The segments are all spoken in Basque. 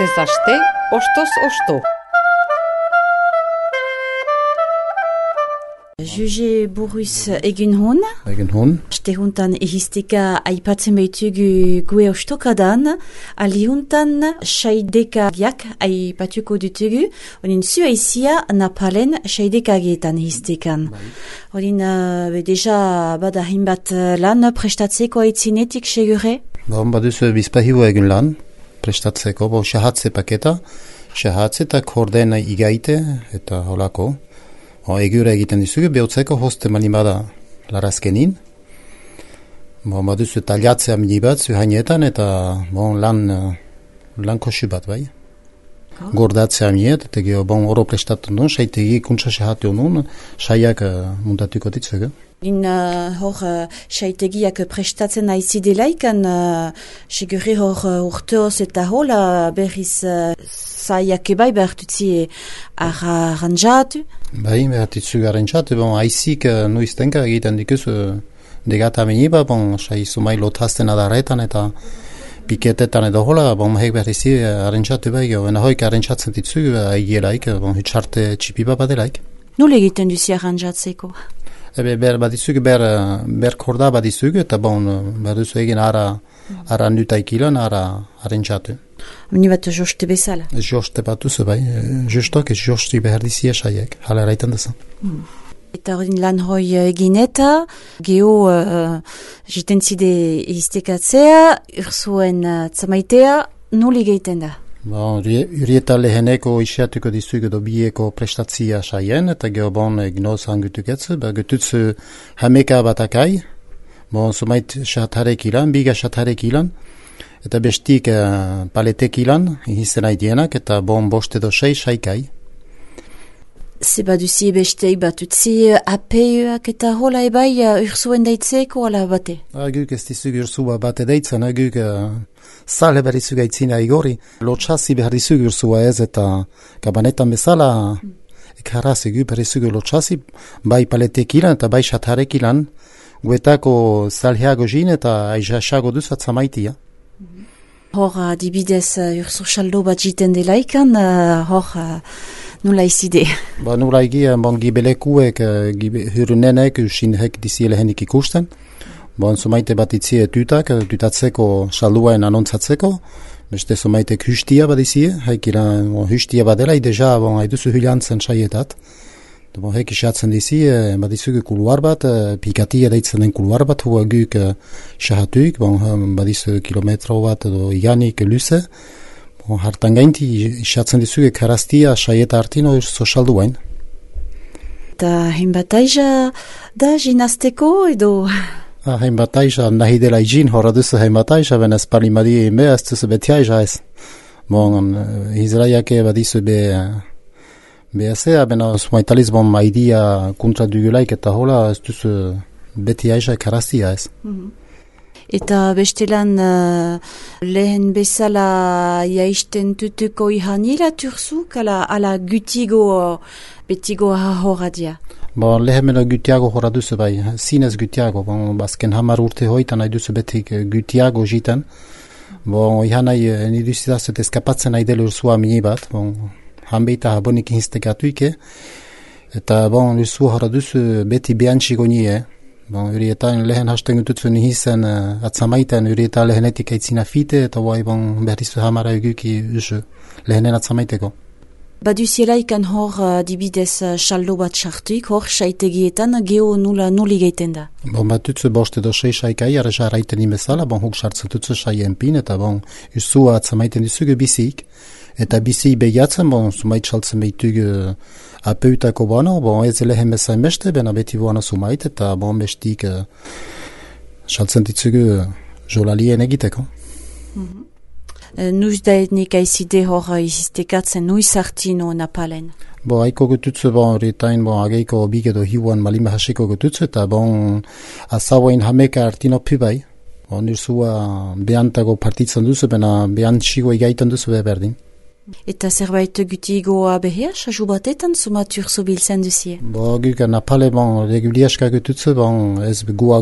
Astez aste, ostoz osto. Juge buruz egin hon. Stehuntan ehisteka aipatzen behitugu gue ostokadan, alihuntan saidekagiak aipatuko dutugu, honin zu aizia Napalen saidekagietan ehistekan. Honin deja bada hinbat lan prestatzeko aitzinetik segure? Baduzu bizpahiu egin lan prestatzeko, shahatze paketa, shahatze eta kordena igaite eta holako. Egure egiten dizugu, behotzeko hoste manimada larazkenin. Baduzu taliatzea minibat zuhainetan eta lan kosu bat bai. Gordatzea miniet, eta geho oro prestatu nun, saitegi kuntsa sahatu nun, saiak mundatuko ditzugu. Hor saitegiak prestatzen aizidelaik, segure hor urteoz eta hola berriz zaiak ebai behartutzi arranjatu? Bai, behartutzi arranjatu, aizik nuiztenka egiten dikuzu degata meniba, sai sumai lotazten adarretan eta piketetan edo hola, hek berrizi arranjatu bai, hoik arranjatzen ditzugu aigielaik, hitxarte txipiba badelaik. Nule egiten duzi arranjatzeko? Ber korda badizugu eta baduzu egin ara nutaikilan, ara arranjatu. Mini bat joste bezala? Joste bat duzu bai, justok josti behar dizia saiek, hala eraitan dezan. Eta hori lan hoi egin eta, geho jiten zide iztekatzea, urzuen tzamaitea, nuli geiten da? Urieta leheneko isiatuko dizugu dobieko prestatzia saien, eta geho gnoz hangutuketzu, gututzu hameka batakai, sumait shatarek ilan, biga shatarek ilan, eta bestik paletek ilan, izan haidienak, eta boste do saikai. Zeba duzi bestei batutzi apeuak eta hola ebai urzuen daitzeko ala bate? Guk ez dizugu urzua bate daitzen, guk sale behar dizugu aitzina igori. Lotxasi behar dizugu urzua ez eta kabanetan bezala ekarrazi guk behar dizugu lotxasi, bai paletek ilan eta bai shatarek ilan, guetako salheago jin eta aizasago duz atzamaitia. Hor adibidez urzu saldo bat jiten delaikan, hor nula izide? Nula egi, gibelekuek, hyrunenek, usinhek dizielehenik ikusten. Sumaite bat itzie tutatzeko salduaen anontzatzeko. Beste sumaitek hystia bat izie, haikiran hystia bat dela, deja haiduzu hylantzen saietat. Hek isatzen dizi, bat izugu kuluar bat, pikatia deitzen den kuluar bat, hua guk sahatuik, bat izu kilometro bat edo iganik luze. Hartan gainti isatzen dizugu karaztia saieta hartino sosaldu bain. Eta hainbat aiza da jinazteko edo? Hainbat aiza nahi dela izin, horra duzu hainbat aiza, ben ez palimadi eme ez duzu beti aiza ez. Izraiake bat izu Beazea, sumaitaliz maidia kontra dugulaik eta hola ez duzu beti aiza karaztia ez. Eta bestelan lehen bezala jaisten tutuko ihanila turzuk ala gutigo betigo horadia? Lehen gutiago hora duzu bai, zinez gutiago, bazken hamar urte hoitan nahi duzu betik gutiago jiten. Ihanai niduzitazet eskapatzen nahi dela urzua mini bat, hanbeita habonik instekatuike, eta urzu hora duzu beti behantxiko nie. Urietan lehen hasten gututzu nihizen atzamaitan, urietan lehenetik aitzina fite, eta beharizu hamara eguki usu lehenen atzamaiteko. Baduzielaikan hor dibidez saldo bat sartuik, hor saitegietan geho nuli geiten da? Batutzu boste do saikai, arra raiten imezala, huk sartzatutzu saien pin, eta usua atzamaiten dizugu bizik. Eta bizi behiatzen, sumait saltzen behitugu apeutako ez lehen bezain beste, beti sumait, eta bestik saltzen ditzugu jolalien egiteko. Nuiz da etnik aizide hor izistekatzen, nuiz hartino Napalen? Haiko gututzu, horretain, ageiko big edo hiuan malima hasiko gututzu, eta azauain hameka hartino pibai. Nirzua behantago partitzen duzu, behantxigo egaitan duzu berdin. Eta zerbait gutigoa behea, sasu batetan, sumatur zubiltzen duzie? Guk Napale, reguliaska gututzu, ez goa,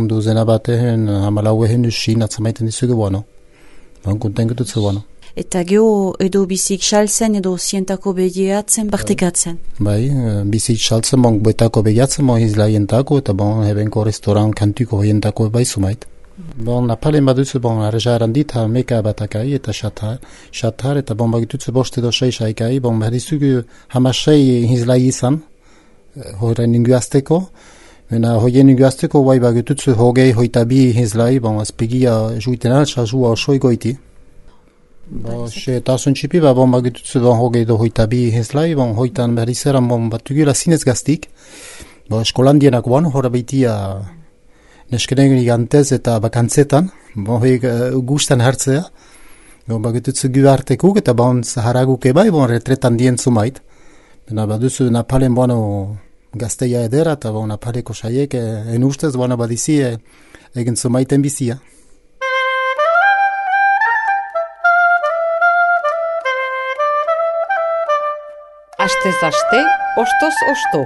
duzena batean, hamalau ehen usin atzamaiten dizugu, konten gututzu, eta geho edo bizik saltzen edo zientako begiatzen, partekatzen. Bai, bizik saltzen, bon, betako begiatzen, bon, izlaientako, eta bon, hebenko restaurant kantuko hoientako bai sumait. Bon, napalen baduzu, bon, arreja erandit, meka batakai eta xatar, eta bon, bagituzu bost edo 6 aikai, bon, beharizugu hamasei izlai izan, horrein inguazteko, mena hoien inguazteko, bai bagituzu hogei hoitabi izlai, bon, azpegia juiten altsa jua osoi goiti. Bon, xe tasun txipi, bon, bagituzu bon, hogei do hoitabi izlai, bon, hoitan beharizeran, bon, batugula zinez gaztik, bon, eskolandienak bon, horra beitia, neskenegen igantez eta bakantzetan, bon, gustan hartzea, bon, bagitutzu gu hartekuk, eta bon, zaharaguk ebai, bon, retretan dien zumait. Bena, baduzu napalen, bueno, gazteia edera, eta bon, napaleko saiek, en ustez, bueno, badizi, egin zumaiten bizia. Astez aste, ostoz osto.